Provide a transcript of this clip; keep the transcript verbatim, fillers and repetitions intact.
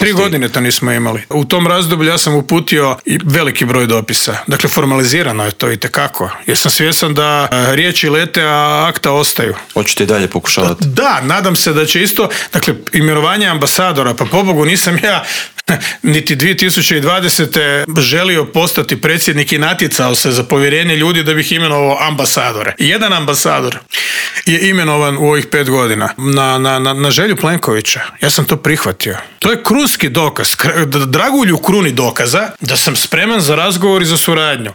Tri godine to nismo imali. U tom razdoblju ja sam uputio i veliki broj dopisa. Dakle, formalizirano je to itekako. Jer sam svjestan da riječi lete, a akta ostaju. Hoćete i dalje pokušavati? Da, nadam se da će isto, dakle, imenovanje ambasadora, pa pobogu nisam ja niti dvije tisuće dvadesete želio postati predsjednik i natjecao se za povjerenje ljudi da bih imenovao ambasadore. Jedan ambasador je imenovan u ovih pet godina na, na, na, na želju Plenkovića. Ja sam to prihvatio. To je krunski dokaz, dragulju kruni dokaza da sam spreman za razgovor i za suradnju.